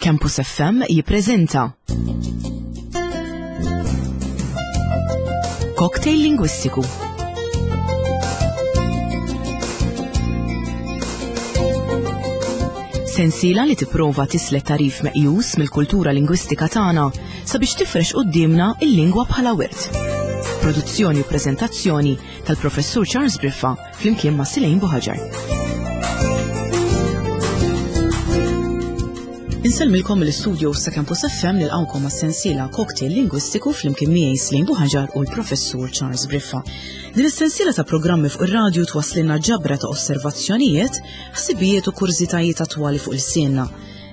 Campus FM jippreżenta Cocktail Lingwistiku. Sensiela li tipprova tislet tarif meqjus mill-kultura lingwistika tagħna sabiex tifrex quddiemna il-lingwa bħala wirt. Produzzjoni u preżentazzjoni tal-Professur Charles Briffa flimkien ma' Silejn Buħaġar. Insellmilkom mill-istudio sa' Campus FM nilqawkom għas-sensiela Cocktail Lingwistiku flimkien miegħi Slejn Buħaġar u l-Professur Charles Briffa. Din is-sensiela ta' programmi fuq ir-radju twasslilna ġabra ta' osservazzjonijiet, ħsibijiet u kurżitajiet attwali fuq il-sienna.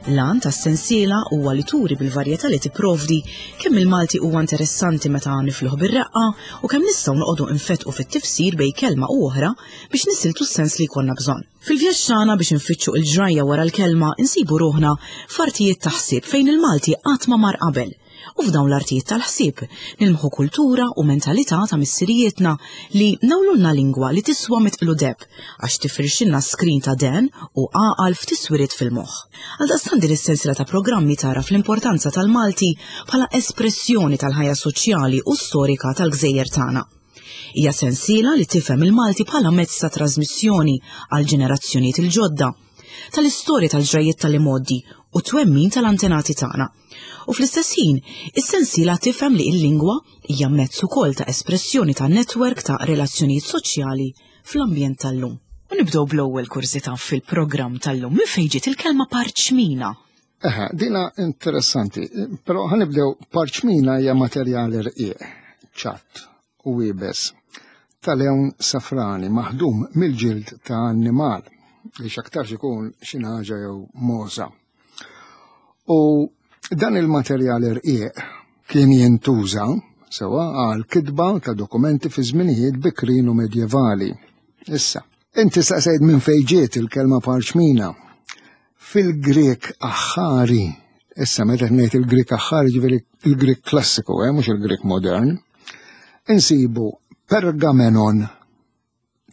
L-għan tas-sensiela huwa li turi bil-varjetà li tipprovdi kemm il-Malti huwa interessanti meta nifluh bir-reqqa u kemm nistgħu noqogħdu nfettqu fit-tifsir bejn kelma u oħra biex nisiltu s-sens li jkollna bżonn. Fil-vjaġġ tagħna biex infittxu il-ġrajja wara l-kelma insibu ruħna f'artijiet ta' ħsieb fejn il-Malti qatt ma mar qabel. U f'dawn l-artijiet tal-ħsieb nilmħu kultura u mentalità ta' missirijietna li nawlulna lingwa li tiswa mitqlu deb għax tifirxilna skrin ta' den u għaqal f'tiswiriet fil-moħħ. Għaldaqstant din is-sensiela ta' programmi tagħraf l-importanza tal-Malti bħala espressjoni tal-ħajja soċjali u storika tal-gżejjer tagħna. Hija sensiela li tifhem il-Malti bħala mezz ta' trasmissjoni għal ġenerazzjonijiet il-ġodda, tal-istorja tal-ġrajjiet tal-imgħoddi u twemmin tal-antenati tagħna. U fl-istess ħin, is-sensiela tifhem li l-lingwa hija mezz ukoll ta' espressjoni ta' netwerk ta' relazzjonijiet soċjali fl-ambjent tal-lum. U nibdew bl-ewwel kurżità fil-programm tal-lum. Minn fejn ġiet il-kelma parċmina? Eħe, dina interessanti, però ħanibdew parċmina hija materjali rqiq, ċatt u iebes ta' lewn safrani maħdum mill-ġild ta' annimal li x'aktarx ikun xi ħaġa jew moża. U dan il-materjal irqiq kien jintuża sewa għal kitba ta' dokumenti fi żminijiet bikrin u medjevali. Issa, inti staqsejt minn fejn ġiet il-kelma parċmina. Fil-Grek aħħari, issa meta ngħid il-Grek aħħari ġifieri il-Grek klassiku, eh, mhux il-Grek modern, insibu pergamenon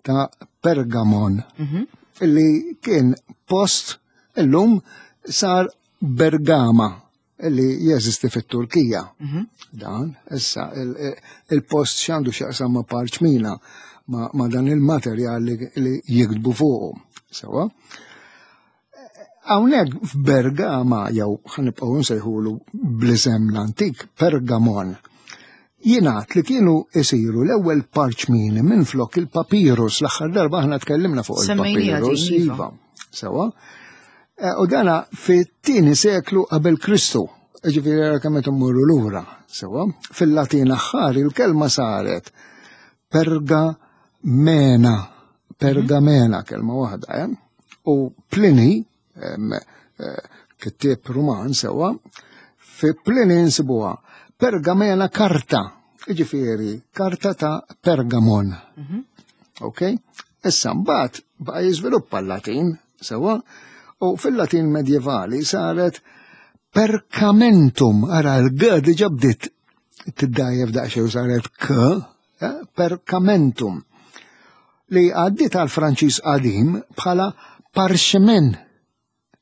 ta' Pergamon, mhm. illi kien post illum sar Bergama illi jeżisti fit-Turkija. Mhm. Dan, issa, il-post xandu xaqsam ma' parċmina ma' dan il-materjal li jiktbu fuqu. Sewa. Hawnhekk f'Bergama jew ħanibqgħu nsejħulu bl-isem l-antik Pergamon. Jingħad li kienu isiru l-ewwel parċmini minn flok il-papirus l-aħħar darba aħna tkellimna fuq il-papirus. Iva. iva. Sewa. E, u dana fit-tieni seklu qabel Kristu. Ġifieri ara kemm qed immorru lura, sewa. Fil-Latin aħħar il-kelma saret pergamena pergamena kelma waħda, eh? U Plini, eh, kittieb Ruman sewa, fi Plini nsibuha pergamena karta, jiġifieri karta ta' Pergamon. Mhm. Ok? Issa mbagħad baqa' jiżviluppa l-Latin sewa, u fil-Latin medjevali saret percamentum, ara l-g diġa bdiet tiddajjef daqsxejn u saret k, eh, percamentum, li għaddiet għal Franċiż qadim bħala parchemin.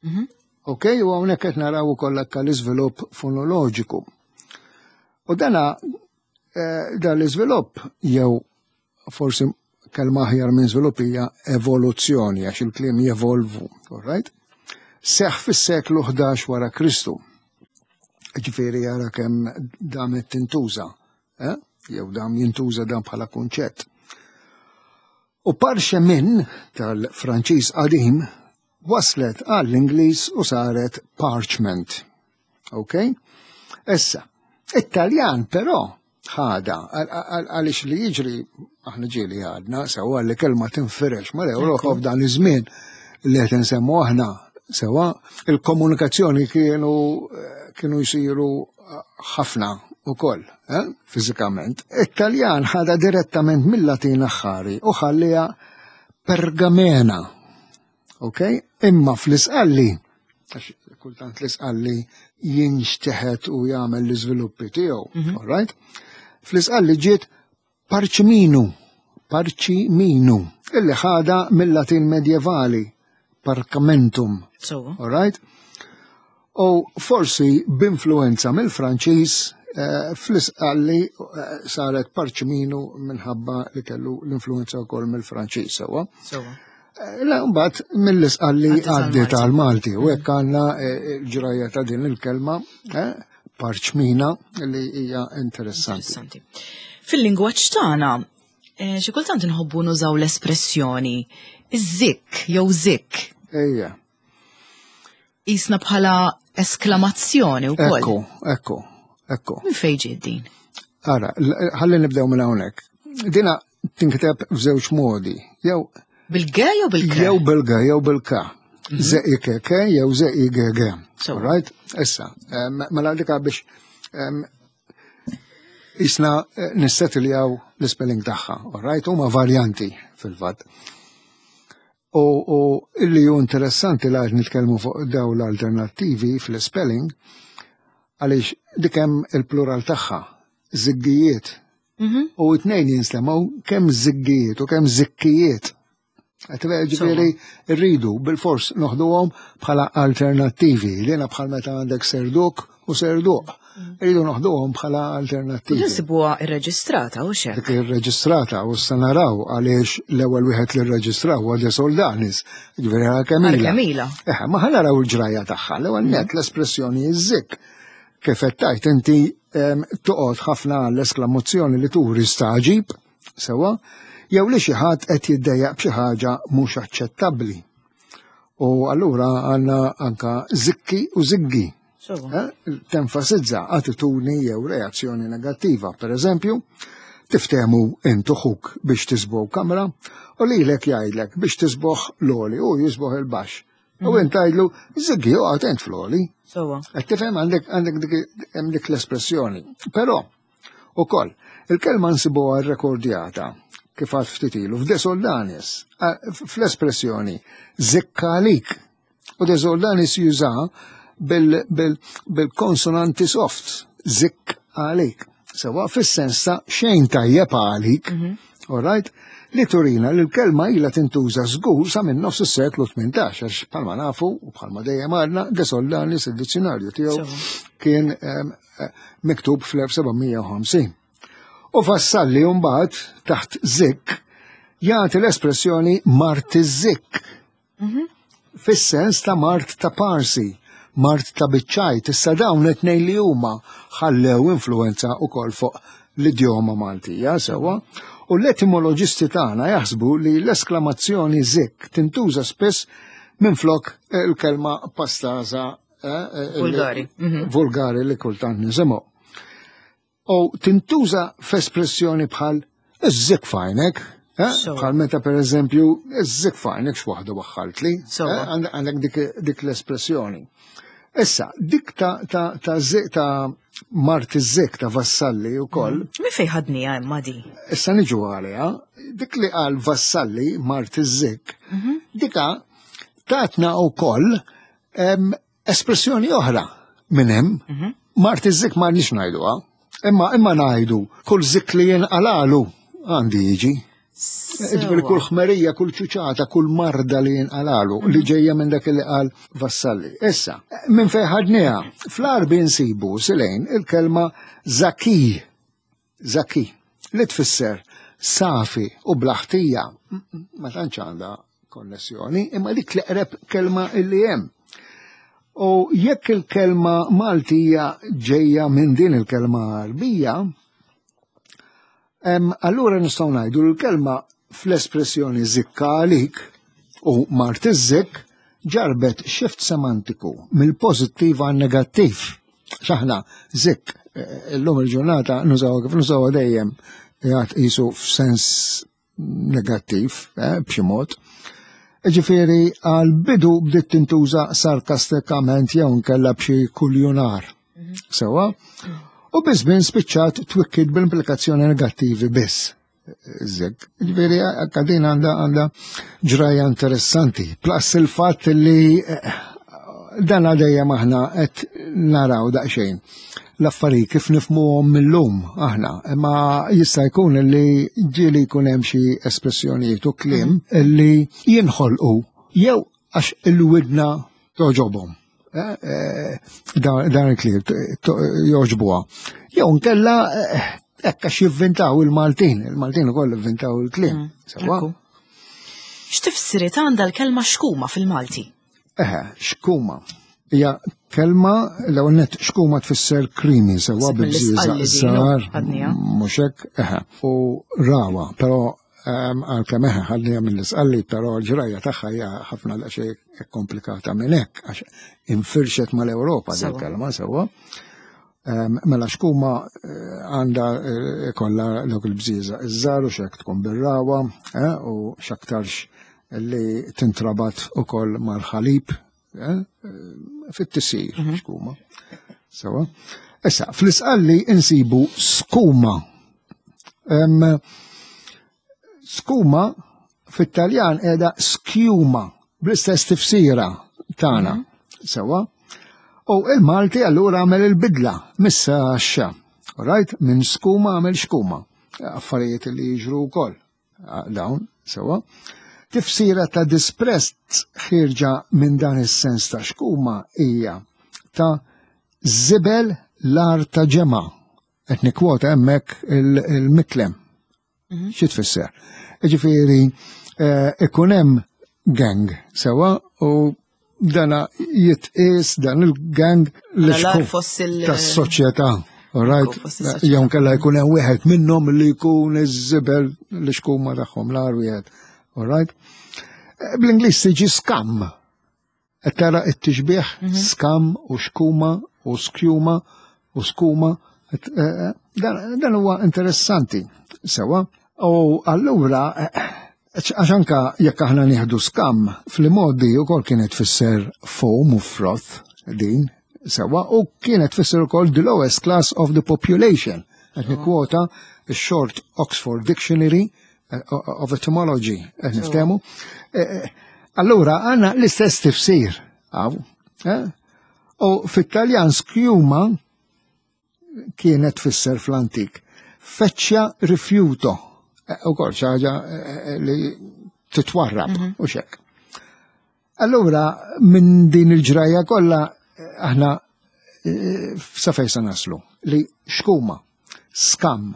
Mhm. Ok, u hawnhekk qed naraw ukoll hekk l-iżvilupp fonoloġiku. U dana eh, dan l-iżvilupp jew forsi kelma aħjar minn żvilupp hija evoluzzjoni għax il-kliem jevolvu, all right? Seħ fis-seklu 11 wara Kristu. Ġifieri jara kemm damet tintuża eh? jew dam jintuża dan bħala kunċett. U parchemin tal-Franċiż qadim waslet għall-Ingliż u saret parchment. Ok? Issa, it-Taljan però ħada għaliex li jiġri aħna ġieli għadna sewa li kelma tinfirex mal-Ewropa f'dan iż-żmien li qed insemmu aħna sewa il-komunikazzjoni kienu kienu jsiru ħafna ukoll, eh, fiżikament. It-Taljan ħada direttament mill-Latin aħħari u ħalliha pergamena. Ok? Imma fl-isqalli, għax kultant l-isqalli jinxteħet u jagħmel l-iżviluppi tiegħu, mm all right? Fl-isqalli ġiet Parċminu, parċiminu, illi ħada mill-Latin medjevali, parcamentum. So. All right? U forsi b'influenza mill-Franċiż eh, fl-isqalli eh, saret parċminu minħabba li kellu l-influenza wkoll mill-Franċiż sewwa. Sewwa. Eh, la mbagħad mill-isqalli għaddiet għal-Malti u hekk għandna ġrajja ta' din il-kelma parċmina li hija interessanti. Fil-lingwaġġ tagħna xi kultant inħobbu nużaw l-espressjoni iż-żikk jew zikk. Ejja. Isna bħala esklamazzjoni wkoll. Ekku, ekku, ekku. Min fejn ġiet din? Ara, ħalli nibdew minn hawnhekk. Dina tinkiteb f'żewġ modi. Jew bil-G jew bil-K? Jew bil-G jew bil-K. Mhm. Z-I-K-K jew Z-I-G-G. Right? Issa, mela dika biex jisna eh, nissetiljaw l-spelling tagħha, all right? Huma varjanti fil-fatt. U, u illi ju interessanti la qed nitkellmu fuq daw l-alternattivi fl-spelling, għaliex dik hemm il-plural tagħha, ziggijiet. Mm-hmm. U it-tnejn jinstemgħu kemm ziggijiet u kemm zikkijiet. Ġifieri rridu bil-fors noħduhom bħala alternattivi. Li bħal meta għandek serduk u serduq. Mm. Rridu noħduhom bħala alternattivi. Nsibuha irreġistrata u xek. Dik irreġistrata u issa naraw għaliex l-ewwel wieħed li rreġistraw huwa De Soldanis. Ġifieri għal Kemila. Kemila. Eh, ma ħa naraw il-ġrajja tagħha. L-ewwel mm. net l-espressjoni iż-zik. Kif qed tajt inti toqgħod ħafna l-esklamazzjoni li turi staġib Sewwa, jew li xi ħadd qed jiddejjaq b'xi ħaġa mhux aċċettabbli. U allura għandna anka zikki u ziggi. Eh, tenfasizza attitudni jew reazzjoni negattiva. Per eżempju, tiftemu intu ħuk biex tisbow kamra u lilek jgħidlek biex tisboħ l-oli u jisboħ il-baxx. U mhm. int tgħidlu, ziggi oqgħod int fl-oli. Qed tifhem għandek għandek dik l-espressjoni. Però Ukoll, il-kelma nsibuha rrekordjata kif għad ftit ilu f'De Soldanis, fl-espressjoni zikkalik. U De Soldanis juża bil-konsonanti soft, zik għalik. Sewa fis-sens ta' xejn tajjeb għalik, mhm. all right? Li turina li l-kelma ilha tintuża żgur sa minn nofs is-seklu 18 għax bħalma nafu u bħalma dejjem għadna De Soldanis id-dizzjonarju tiegħu kien miktub fl-1750. U Vassalli mbagħad taħt zik jagħti l-espressjoni mart iż-zik. Mhm. Fis-sens ta' mart ta' parsi, mart ta' biċċajt, issa dawn it-tnejn li huma ħallew influenza ukoll fuq l-idjoma Maltija sewwa, u l-etimoloġisti tagħna jaħsbu li l-esklamazzjoni zik tintuża spiss minflok il-kelma pastaza Eh, eh, vulgari. Mhm. Vulgari li kultant nisimgħu. U tintuża f'espressjoni bħal iż-zik fajnek, eh, bħal meta per eżempju iż-zik fajnek x'waħda waħħaltli, għandek dik l-espressjoni. Issa, dik ta' ta' ta' ta' Mart iż-zik ta' Vassalli u koll. Mhm. Mi fej ħadnija imma di? Issa niġu għaliha, dik li qal Vassalli Mart iż-zik, mhm. dika tatna u koll Espressjoni oħra minn hemm, mhm. mart iż-zik ma nix ngħiduha, imma imma ngħidu kull zik li jinqalalu għandi jiġi. Ġifieri kull ħmerija, kull ċuċata, kull marda li jinqalalu li mhm. ġejja minn dak li qal Vassalli. Issa, minn fejn ħadniha, fl-Arbi nsibu silejn il-kelma zaki. Zaki, li tfisser safi u bla ħtija, ma tantx għandha konnessjoni, imma dik l-eqreb kelma illi hemm. U jekk il-kelma Maltija ġejja minn din il-kelma Arbija, allura nistgħu ngħidu l-kelma fl-espressjoni zikka għalik u mart iż-zikk ġarbet xift semantiku mill-pożittiv għan negattiv. X'aħna zik eh, illum il-ġurnata nużaw kif nużaw dejjem jgħat qisu f'sens negattiv eh, b'xi mod. Ġifieri għal bidu bdiet tintuża sarkastikament jew nkella b'xi kuljunar. Mhm. Sewa? U biż-żmien spiċċat twikkid bl-implikazzjoni negattivi biss. Zek. Ġifieri din għandha għandha ġraja interessanti. Plus il-fatt li eh, dan dejjem aħna qed naraw daqsxejn l-affarijiet kif nifmuhom mill-lum aħna, imma jista' jkun li ġieli jkun hemm xi espressjonijiet u kliem mhm. li jinħolqu jew għax il-widna toġobhom. Dan il-kliem jogħġbuha. Jew nkella hekk għax jivvintaw il-Maltin, il-Maltin ukoll ivvintaw il-kliem. Sewwa? X'tifsiriet għandha l-kelma xkuma fil-Malti? Eħe, xkuma. Hija kelma l-ewwel nett xkuma tfisser creamy sewwa bibżieżaq żgħar. Mhux hekk, eħe. U rawa, però għalkemm eħe ħadniha mill-isqalli, però l-ġrajja tagħha hija ħafna daqsxejn komplikata minn hekk għax infirxet mal-Ewropa din kelma sewwa. Mela xkuma għandha kollha dawk il-bżieżaq iż-żgħar u x'hekk tkun bir-rawa u x'aktarx li tintrabat ukoll mal-ħalib fit-tisir xkuma. Sewa. Issa, fl-isqalli insibu skuma. Skuma fit-Taljan qiegħda skjuma bl-istess tifsira tagħna. Sewa. U il-Malti allura għamel il-bidla missa xa. Right? Minn skuma għamel xkuma. Affarijiet li jiġru wkoll dawn, sewa. Tifsira ta' disprezz ħierġa minn dan is-sens ta' xkuma hija ta' żibel l-ar ta' ġemgħa. Qed nikkwota hemmhekk il-miklem. Xi tfisser? Ġifieri ikun hemm gang sewa u dana jitqies dan il-gang li tas-soċjetà. Right? Jew kella jkun hemm wieħed minnhom li jkun iż-żibel li xkuma tagħhom l-ar wieħed. All right? Bl-Ingliż tiġi scum. Qed tara t-tixbih skam u xkuma u skjuma u skuma. Dan huwa interessanti sewa. U allura għax anka jekk aħna nieħdu skam fl-modi wkoll kienet tfisser foam u froth din sewa u kienet tfisser ukoll the lowest class of the population. Qed nikkwota short Oxford Dictionary of Etymology, qed niftehmu. Allura għandna l-istess tifsir. U fit-Taljan skjuma kienet tfisser fl-antik. Feċċja rifjuto. U kol ħaġa li titwarrab u xek. Allura minn din il-ġrajja kollha aħna sa fejn se naslu li xkuma, skam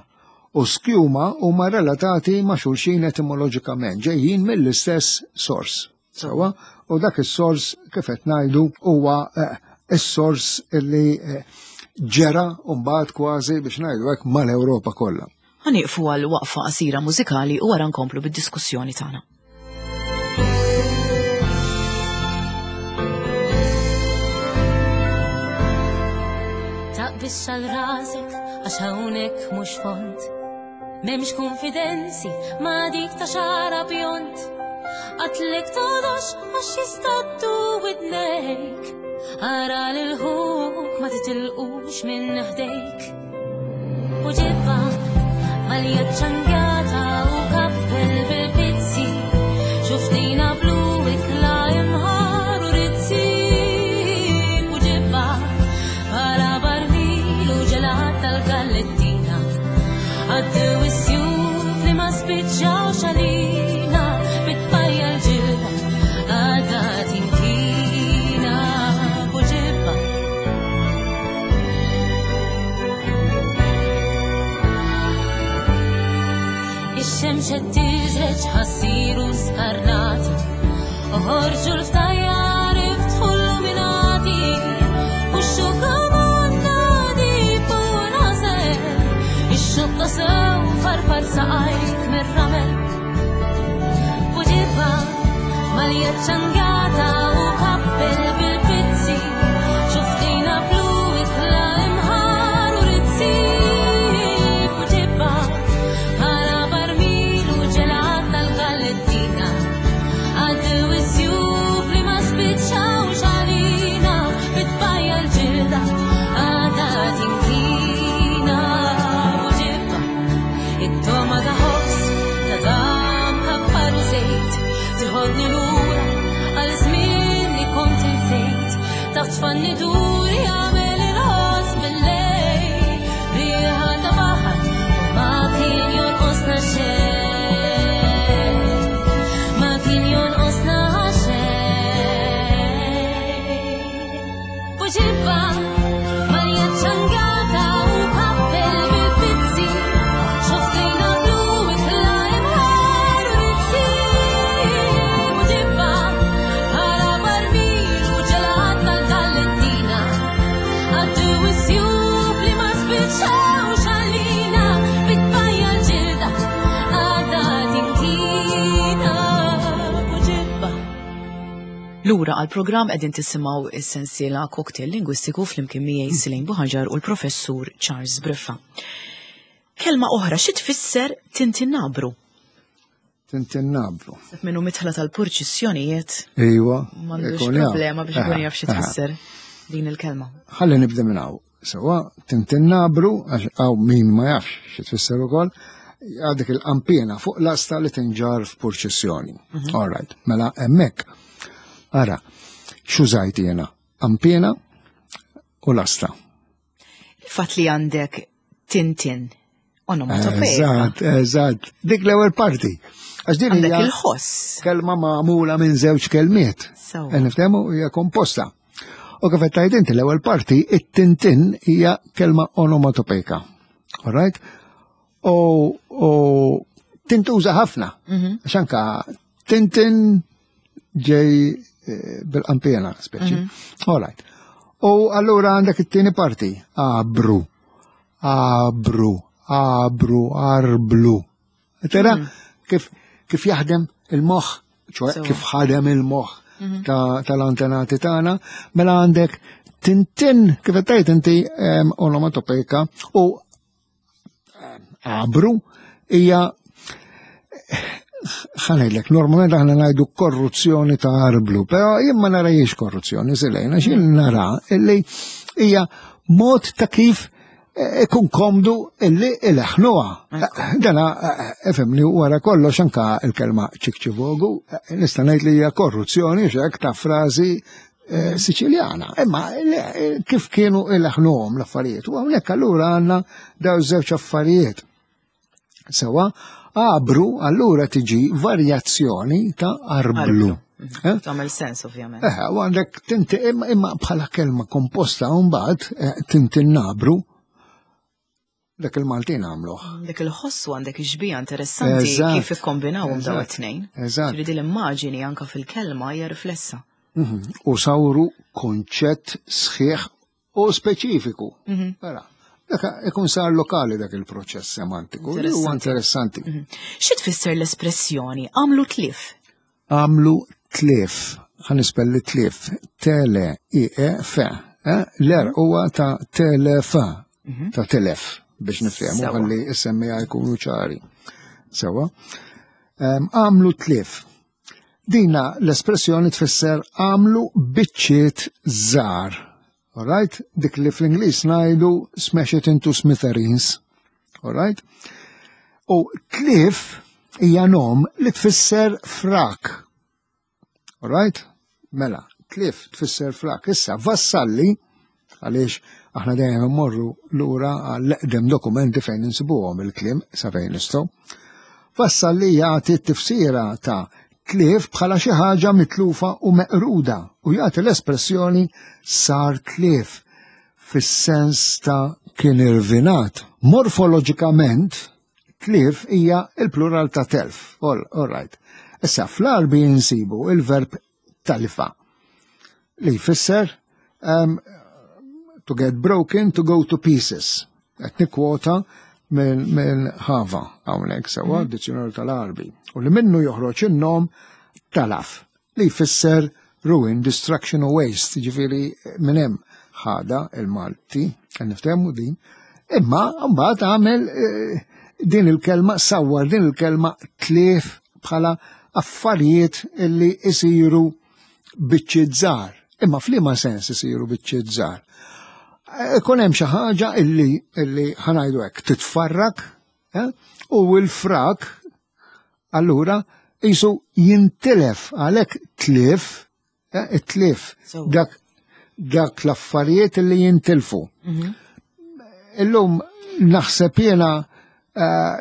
u skjuma huma relatati ma' xulxin etimoloġikament, ġejjin mill-istess sors. Sewa, u dak is-sors kif qed ngħidu huwa is-sors li ġera mbagħad kważi biex ngħidu hekk mal-Ewropa kollha. Ħa nieqfu għal waqfa qasira mużikali u wara nkomplu bid-diskussjoni tagħna. Taqbix għal rasek għax hawnhekk mhux font. M'hemmx konfidenzi ma' dik ta' xara bjont. Għatlek todox għax jistattu widnejk. Ara lil ħuk ma titilqux minn ħdejk. U ġibba malja ċangata u kappell bil-pizzi. Xuftina blu ikla imħar u rizzi. U ġibba bħala barmil u ġelat tal-gallettina. Għaddew is-sjuf li ma spiċċawx għalina bitfajja l-ġilda għadha tinkina. U ġibba Ix-xemx qed tiżreġ ħassiru skarnati. Oħorġu l-ftajjar iftħu l-luminati. U x-xuka nadi fuq l-għażel. Ix-xokka sew farfar saqajk mir-ramel. U ġibba malja ċangata u kappell bil-pizzi. Xuftina blu ikla imħar u rizzi. U ġibba bħala barmil u ġelat tal-gallettina. Għaddew is-sjuf li ma Lura għal-programm qegħdin tisimgħu is-sensiela Cocktail Lingwistiku flimkien miegħi Silejn Buħaġar u l-Professur Charles Briffa. Kelma oħra xi tfisser tintinnabru? Tintinnabru. Minnu mitħla tal-purċissjonijiet. Iwa. M'għandux problema biex ikun jaf xi tfisser din il-kelma. Ħalli nibda minn hawn. Sewa, tintinnabru, għax hawn min ma jafx xi tfisser ukoll, għadek il-qampina fuq lasta li tinġar f'purċissjoni. Mhm. All right, mela hemmhekk. Ara, x'użajt jiena? Qampina u lasta. Il-fatt li għandek tintin onomatopeja. Eżatt, eżatt. Dik l-ewwel parti. Għax din hija il-ħoss. Kelma magħmula minn żewġ kelmiet. Niftehmu hija komposta. U kif qed tgħid inti l-ewwel parti, it-tintin hija kelma onomatopejka. All right? U, u tintuża ħafna. Mhm. Għax anka tintin ġej eh, bil-qampiena speċi. Mm -hmm. All right. U allura għandek it-tieni parti, abru, abru, abru, arblu. Tera mm. kif kif jaħdem il-moħħ, ċoħe kif ħadem il-moħħ mm -hmm. tal-antenati tagħna, mela għandek tintin kif qed inti onomatopejka u Abru hija ħanajlek, normalment aħna ngħidu korruzzjoni ta' arblu, però jien ma narajiex korruzzjoni, silejna, xil nara illi hija mod ta' kif eh, ikun komdu illi il-ħnuha. Dana, eh, efemni, wara kollox anka il-kelma ċikċivogu, eh, nista' ngħid li hija korruzzjoni xek ta' frażi Eh, Siċiljana. Imma eh, kif kienu il-ħnuhom l-affarijiet. U hawnhekk allura għandna daw żewġ affarijiet. Sewa, abru allura tiġi varjazzjoni ta' arblu. Eh? Tagħmel sens ovvjament. Eh, u għandek tinti imma bħala kelma komposta mbagħad tinti nabru Dak il-Maltin għamluh. Dak il-ħossu għandek ixbija interessanti kif ikkombinawhom daw it-tnejn. Eżatt. Ġifieri l-immaġini anka fil-kelma hija riflessa. Mhm. U sawru konċett sħiħ u speċifiku. Mhm. Mela, dak ikun sar lokali dak il-proċess semantiku li huwa interessanti. Mhm. Xi tfisser l-espressjoni għamlu tlif? Għamlu tlief, ħa nispelli tlief, tele i e f, eh? L-er huwa ta' telef, mhm. ta' telef biex nifhemu ħalli s-semmija jkunu ċari. Sewa. Għamlu tlief. Dina l-espressjoni tfisser għamlu biċċiet żgħar. Alright? Dik li fl-Ingliż ngħidu smash it into smithereens. Alright? U tlief hija nom li tfisser frak. Alright? Mela, tlief tfisser frak. Issa, vassalli, għaliex aħna dejjem immorru lura għall-eqdem dokumenti fejn insibuhom il-kliem sa fejn nistgħu. Vassalli jagħti t-tifsira ta' tlief bħala xi ħaġa mitlufa u meqruda u jagħti l-espressjoni sar tlief fis-sens ta' kien irvinat. Morfoloġikament, tlief hija il-plural ta' telf. All, all right. Issa fl-Arbi insibu il-verb talifa li jfisser um, to get broken, to go to pieces. Qed nikkwota minn min Hava hawnhekk sewwa mm. dizzjonarju tal-Arbi. U li minnu joħroġ in-nom talaf li jfisser ruin, destruction u waste, ġifieri minn hemm ħada il-Malti, niftehmu din, imma mbagħad għamel eh, din il-kelma sawwar din il-kelma tlief bħala affarijiet illi isiru biċċiet żgħar. Imma f'liema sens isiru biċċiet żgħar? Ikun hemm xi ħaġa illi illi ħanajdu hekk titfarrak eh? u l-frak allura jisu jintilef għalhekk tlif eh, it-tlif dak dak l-affarijiet li jintilfu. Mhm. Illum naħseb jiena eh,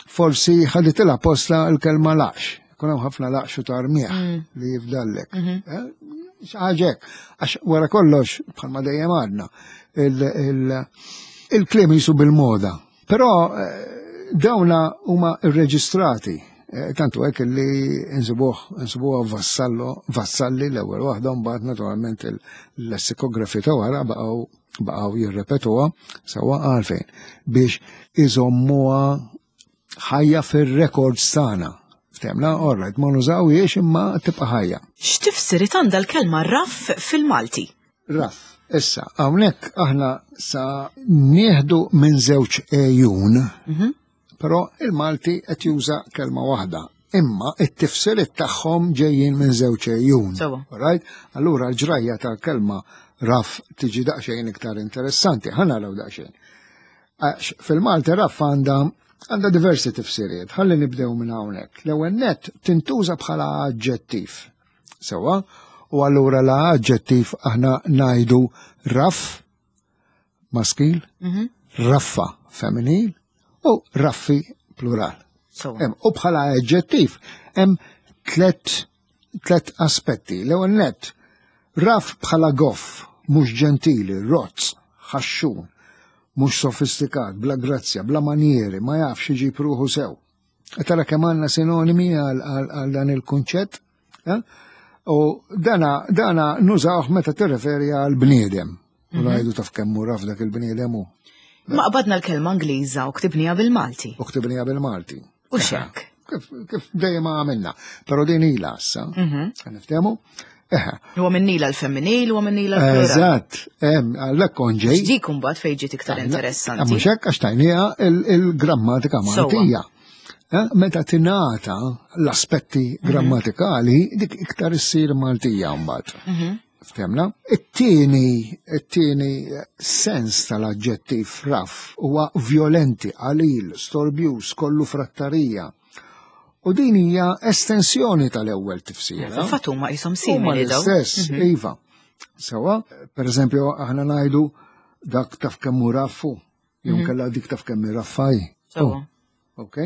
forsi ħaditilha posta l-kelma laqx. Kun hemm ħafna laqx u tarmieħ mm. li jifdallek. Mhm. Eh, xaġek, għax wara kollox, bħalma dejjem għadna, il-kliem jisu bil-moda. Però eh, dawna huma irreġistrati. Eh, tantu hekk li nsibuh nsibuha vassallo, vassalli l-ewwel waħda mbagħad naturalment il-lessikografi ta' wara baqgħu baqgħu jirrepetuha sewwa għalfejn biex iżommuha ħajja fir-records tagħna. Ftemna, all right, ma nużawhiex imma tibqa' ħajja. X'tifsiriet għandha l-kelma raff fil-Malti? Raff. Issa, hawnhekk aħna sa nieħdu minn żewġ ejun, però il-Malti qed juża kelma waħda. Imma it-tifsiriet tagħhom ġejjin minn żewġ ejun. Sewwa. Right? Allura l-ġrajja tal-kelma raff tiġi daqsxejn iktar interessanti. Ħa naraw daqsxejn. Għax fil-Malti raff għandha għandha diversi tifsiriet. Ħalli nibdew minn hawnhekk. L-ewwel nett tintuża bħala aġġettiv. Sewwa, u allura la aġġettiv aħna ngħidu raff maskil, raffa femminil u raffi plural. Sewwa. U bħala aġġettiv hemm tlet aspetti. L-ewwel nett, raff bħala goff, mhux ġentili, rozz, ħaxxun, mhux sofistikat, bla grazzja, bla manieri, ma jafx iġib ruħu sew. Tara kemm għandna sinonimi għal dan il-kunċett? Eh? U dana nużawh meta tirreferi għal bniedem. U ngħidu taf kemm hu raf dak il-bniedem hu. Ma qbadna l-kelma Ingliża u ktibniha bil-Malti. U ktibniha bil-Malti. U x'hekk? Kif dejjem għamilna. Però din ilha issa. Niftehmu? Eħe. Huwa minn ila l-femminil, huwa minn ila l-plural. Eżatt, hemm għalhekk kont ġej. Dik imbagħad fejn ġiet iktar interessanti. Mhux hekk għax tajniha il-grammatika Maltija. Meta tingħata l-aspetti grammatikali, dik iktar issir Maltija mbagħad. Ftemna? It-tieni sens tal-aġġettiv raff huwa violenti, qalil, storbjuż, kollu frattarija. U din hija estensjoni tal-ewwel tifsira. Fil-fatt huma qishom Huma simili daw. l-istess, iva. Sewwa, per eżempju, aħna ngħidu dak taf kemm hu raffu, jew kellha dik taf kemm hi raffaj. Sewwa. Ok?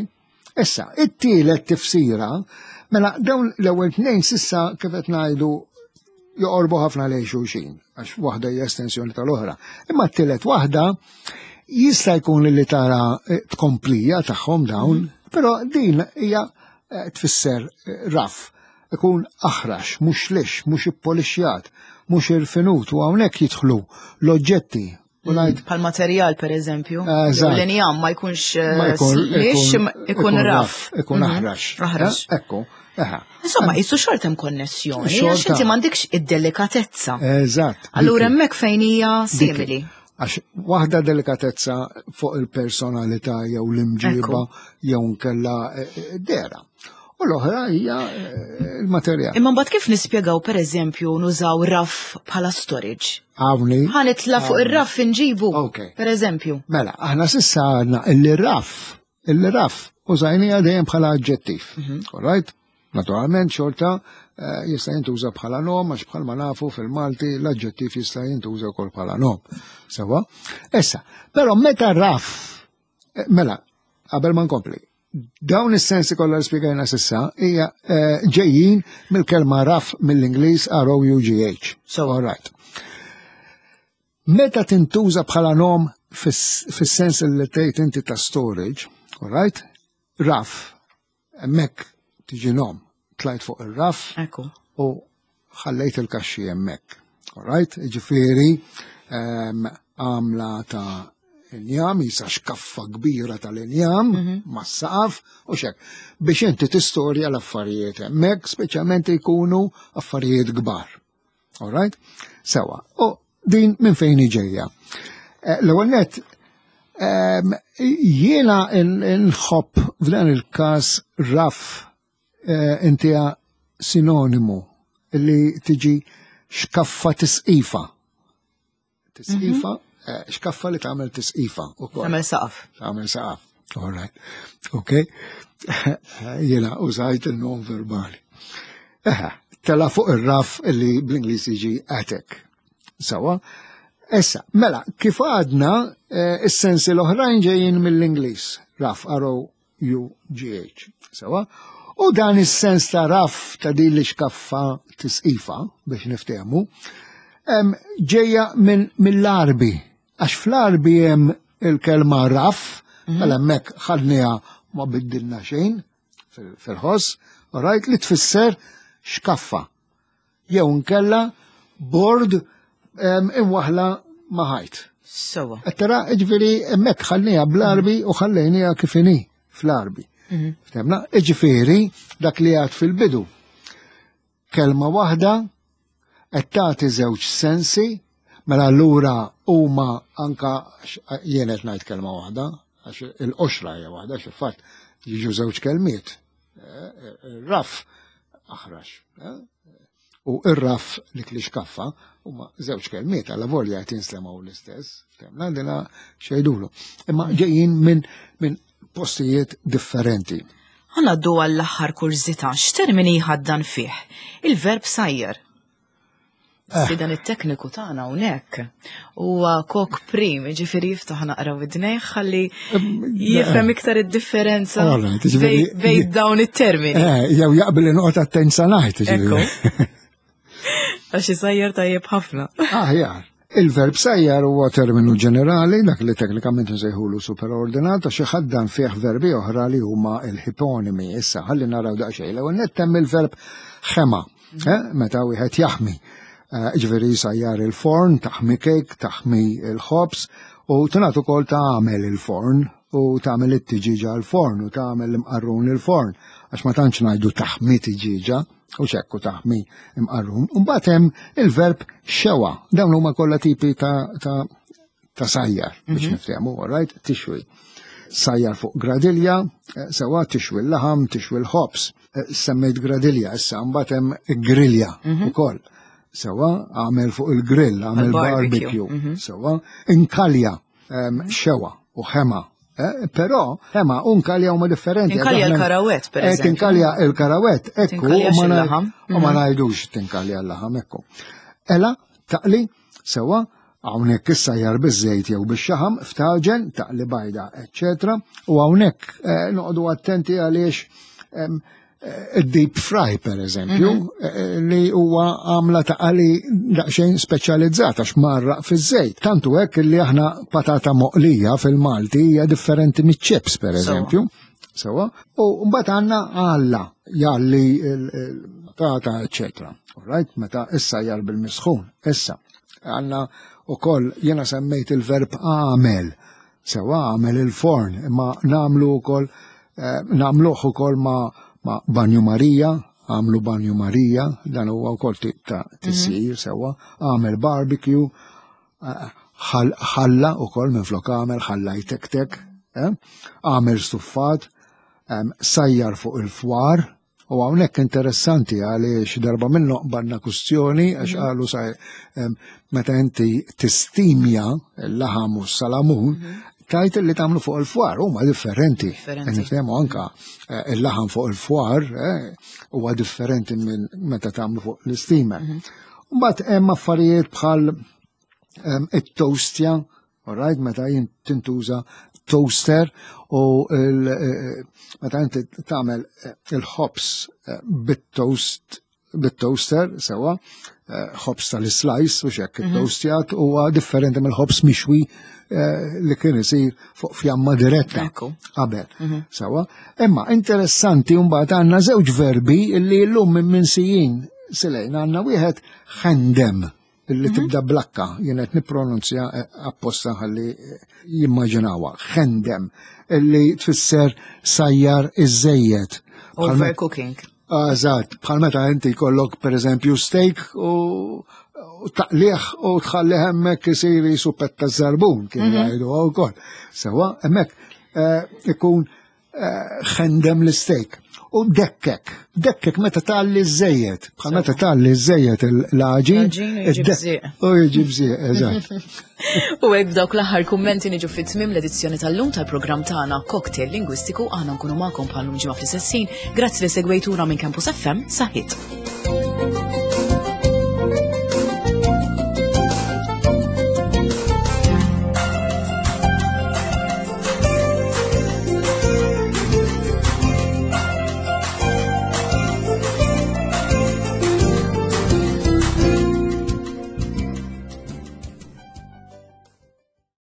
Issa, it-tielet tifsira, mela dawn l-ewwel tnejn sissa kif qed ngħidu joqorbu ħafna lejn xulxin, għax waħda hija estensjoni tal-oħra. Imma t-tielet waħda jista' jkun li tara tkomplija tagħhom dawn, però din hija tfisser raff, ikun aħrax, mhux lix, mhux ippolixjat, mhux irfinut, u hawnhekk jidħlu l-oġġetti. U ngħid Pal materjal, per eżempju, Eżatt. l-injam ma jkunx Ma lix, ikun raff. Ikun aħrax. Aħrax. Ekku, eħe. Insomma, jisu xorta hemm konnessjoni, Xorta. għax inti m'għandekx id-delikatezza. Eżatt. Allura Dik. hemmhekk fejn hija Dik. simili. Għax waħda delikatezza fuq il-personalità jew l-imġiba jew nkella dera. U l-oħra hija il-materjal. Imma mbagħad kif nispjegaw pereżempju nużaw raff bħala storage? Hawnni. Ħa nitla' fuq ir-raff inġibu. Ok. Per eżempju. Mela, aħna sissa għadna illi raff użajnija dejjem bħala aġġettiv. All right? Naturalment xorta jista' jintuża bħala nom, għax bħalma nafu fil-Malti l-aġġettiv jista' jintuża wkoll bħala nom. Sewwa? Issa, però meta raff, mela, qabel ma nkompli, dawn is-sensi kollha li spjegajna sissa hija ġejjin mill-kelma raff mill-Ingliż R O U G H. So, all right. Meta tintuża bħala nom fis-sens li tgħid inti ta' storage, all right? Raff, hemmhekk tiġi nom, tlajt fuq ir-raff u ħallejt il-kaxxi hemmhekk. All right? Ġifieri, għamla ta' injam, jisa xkaffa kbira tal-injam, mas-saqaf u xek. Biex inti tistorja l-affarijiet hemmhekk, speċjalment jkunu affarijiet kbar. All right? Sewa. U din minn fejn ġejja. L-ewwel nett, jiena nħobb f'dan il-każ raff intija sinonimu li tiġi xkaffa tisqifa. Tisqifa, xkaffa li tagħmel tisqifa ukoll. Tagħmel saqaf. Tagħmel saqaf. All right. Ok. Jiena użajt il-nom verbali. Eħe, tela fuq ir-raff li bl-Ingliż jiġi attic. Sawa. Issa, mela, kif għadna, is-sensi l-oħrajn ġejjin mill-Ingliż. Raff, R O U G H. Sawa. U dan is-sens ta' raff ta' din li xkaffa tisqifa biex niftehmu, ġejja mill-Arbi. Għax fl-Arbi hemm il-kelma raff, mela hemmhekk ħadniha ma biddilna xejn fil-ħoss, all right, li tfisser xkaffa. Jew nkella bord imwaħla ma' ħajt. Sewa. Qed tara, ġifieri hemmhekk ħallniha bl-Arbi u ħallejniha kif inhi fl-Arbi. Ftemna, iġifieri dak li għad fil-bidu. Kelma waħda qed tagħti żewġ sensi, mela allura huma anka jien qed ngħid kelma waħda, għax il-qoxra hija waħda, xi fatt jiġu żewġ kelmiet. Eh, eh, raf aħrax. Eh, u ir-raf dik li xkaffa huma żewġ kelmiet għal volja qed jinslemaw l-istess, temna dina xejdulu. Imma ġejjin minn min postijiet differenti. Ħanaddu għall-aħħar kurżità, x'termini jħaddan fih? Il-verb sajjer. Eh. Si dan it-tekniku tagħna hawnhekk huwa kok prim, ġifieri jiftaħ naqra widnejh ħalli jifhem iktar id-differenza bejn dawn it-termini. Eh, jew jaqbel inqgħod attent sa ngħid, ġifieri. Għax isajjar tajjeb ħafna. Aħjar. Il-verb sajjar huwa terminu ġenerali, dak li teknikament nsejħulu superordinat, għax iħaddan fih verbi oħra li huma l-hiponimi. Issa, ħalli naraw daqsxejn. L-ewwel nett hemm il-verb ħema, eh, meta wieħed jaħmi. Eh, ġifieri sajjar il-forn, taħmi kejk, taħmi il-ħobż, u tingħad ukoll tagħmel il-forn u tagħmel it-tiġiġa l-forn u tagħmel l-imqarrun il-forn, għax ma tantx ngħidu taħmi tiġiġa u xekku taħmi imqarrun. Mbagħad hemm il-verb xewa. Dawn huma kollha tipi ta', ta, ta sajjar biex mm -hmm. niftehmu, all right, tixwi. Sajjar fuq gradilja, eh, sewa tixwi l-laħam, tixwi l-ħobs. Eh, semmejt gradilja, issa mbagħad hemm grilja mm -hmm. ukoll. Sewa għamel fuq il-grill, għamel barbecue, mm -hmm. sewa inkalja xewa u ħema. Eh, però ħema u nkalja huma differenti. Inkalja l-karawet, per eh, eżempju. Tinkalja l-karawet, ekku, u ma mhm. ngħidux tinkalja l-laħam, ekku. Ela, taqli, sewa, hawnhekk issa jar biż-żejt jew bix-xaħam, ftaġen, taqli bajda, eċċetera. U hawnhekk eh, noqogħdu attenti għaliex deep fry per eżempju, mhm. eh, eh, li huwa għamla ta' qali daqsxejn speċjalizzata x'marraq fiż-żejt. Tantu hekk li aħna patata moqlija fil-Malti hija differenti miċ-chips per eżempju. Sewa. U mbagħad għandna għalla jalli il-patata, eċetera. Alright, meta issa jar bil-misħun, issa għandna ukoll jiena semmejt il-verb għamel Sewa għamel il-forn, imma namlu wkoll eh, namluh ukoll ma, ma Banju Marija, għamlu Banju Marija, dan huwa wkoll tip ta' tisir mhm. sewa, għamel barbecue, eh, ħalla ukoll minn flok għamel ħalla jtektek, eh, għamel stuffat, sajjar fuq il-fwar, U hawnhekk interessanti għaliex darba minnu qbadna kustjoni għax mhm. qalu sa meta inti tistimja l-laħam u s-salamun, mhm. tajt li tagħmlu fuq il-fwar huma differenti. Nifhemu anka eh, il-laħam fuq il-fwar eh, huwa differenti minn meta tagħmlu fuq l-isteamer. Mhm. Mbagħad hemm affarijiet bħal it-toastja Alright, meta jien tintuża toaster u eh, eh, meta inti tagħmel eh, il-ħobs bit-toast bit-toaster sewa, ħobs tal-slice u xekk mhm. it-toastjat huwa differenti mill-ħobs mixwi li kien isir fuq fjamma diretta qabel. Mhm. Sewa, imma interessanti mbagħad għandna żewġ verbi li llum minn minsijin silejn għandna wieħed ħendem illi mhm. tibda blakka, jien qed nippronunzja eh, apposta ħalli eh, jimmaġinawha, ħendem, illi tfisser sajjar iż-żejjed. Overcooking. Eżatt, bħal meta inti jkollok pereżempju steak u taqliħ u tħalli hemmhekk isir jisu petta żarbun kien mhm. jgħidu wkoll. Sewa, hemmhekk eh, ikun ħendem l-steak. U dekkek, dekkek meta talli żejjed, bħal meta talli żejjed l-għaġin. U jiġi bżieq, eżatt. U hekk b'dawk l-aħħar kummenti niġu fit-tmiem l-edizzjoni tal-lum tal-programm tagħna Cocktail Lingwistiku aħna nkunu magħkom bħal-lum ġimgħa fl-istess ħin. Grazzi li segwejtuna minn Campus FM, saħħit.